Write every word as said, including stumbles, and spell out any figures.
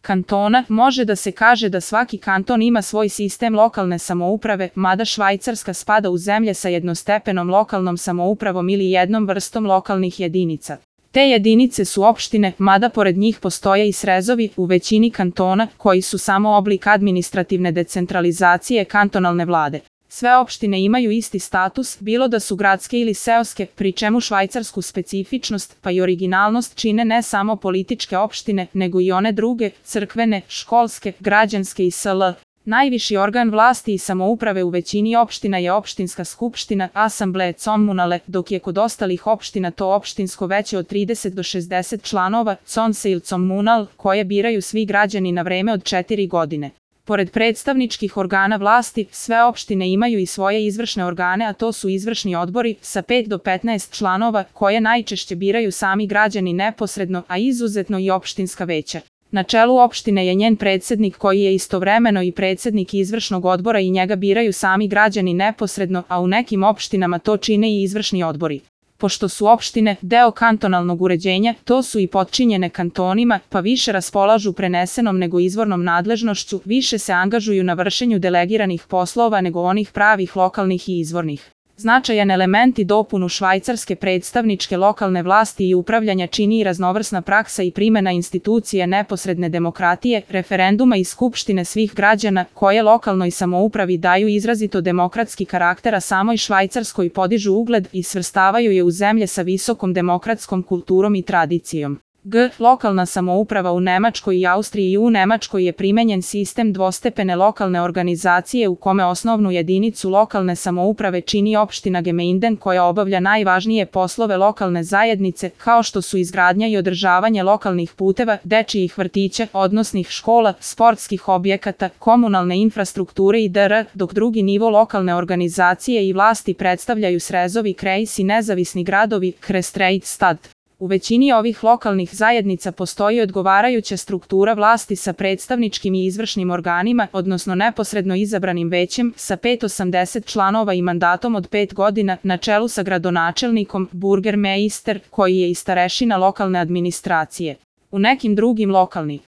kantona, može da se kaže da svaki kanton ima svoj sistem lokalne samouprave, mada Švajcarska spada u zemlje sa jednostepenom lokalnom samoupravom ili jednom vrstom lokalnih jedinica. Te jedinice su opštine, mada pored njih postoje i srezovi u većini kantona, koji su samo oblik administrativne decentralizacije kantonalne vlade. Sve opštine imaju isti status, bilo da su gradske ili seoske, pri čemu švajcarsku specifičnost pa i originalnost čine ne samo političke opštine, nego i one druge, crkvene, školske, građanske i sl. Najviši organ vlasti i samouprave u većini opština je opštinska skupština, asambleje comunale, dok je kod ostalih opština to opštinsko veće od trideset do šezdeset članova, conseil comunal, koje biraju svi građani na vreme od četiri godine. Pored predstavničkih organa vlasti, sve opštine imaju i svoje izvršne organe, a to su izvršni odbori sa pet do petnaest članova, koje najčešće biraju sami građani neposredno, a izuzetno i opštinska veća. Na čelu opštine je njen predsednik koji je istovremeno i predsednik izvršnog odbora i njega biraju sami građani neposredno, a u nekim opštinama to čine i izvršni odbori. Pošto su opštine deo kantonalnog uređenja, to su i potčinjene kantonima, pa više raspolažu prenesenom nego izvornom nadležnošću, više se angažuju na vršenju delegiranih poslova nego onih pravih lokalnih i izvornih. Značajan element i dopunu švajcarske predstavničke lokalne vlasti i upravljanja čini i raznovrsna praksa i primena institucije neposredne demokratije, referenduma i skupštine svih građana, koje lokalnoj samoupravi daju izrazito demokratski karakter, a samoj Švajcarskoj podižu ugled i svrstavaju je u zemlje sa visokom demokratskom kulturom i tradicijom. G. Lokalna samouprava u Nemačkoj i Austriji. I u Nemačkoj je primenjen sistem dvostepene lokalne organizacije u kome osnovnu jedinicu lokalne samouprave čini opština Gemeinden koja obavlja najvažnije poslove lokalne zajednice, kao što su izgradnja i održavanje lokalnih puteva, dečijih vrtića, odnosnih škola, sportskih objekata, komunalne infrastrukture i dr. dok drugi nivo lokalne organizacije i vlasti predstavljaju srezovi, kreis i nezavisni gradovi, Kreisstad. U većini ovih lokalnih zajednica postoji odgovarajuća struktura vlasti sa predstavničkim i izvršnim organima, odnosno neposredno izabranim većem, sa pet do osamdeset članova i mandatom od pet godina, na čelu sa gradonačelnikom, burgermeister, koji je i starešina lokalne administracije. U nekim drugim lokalnih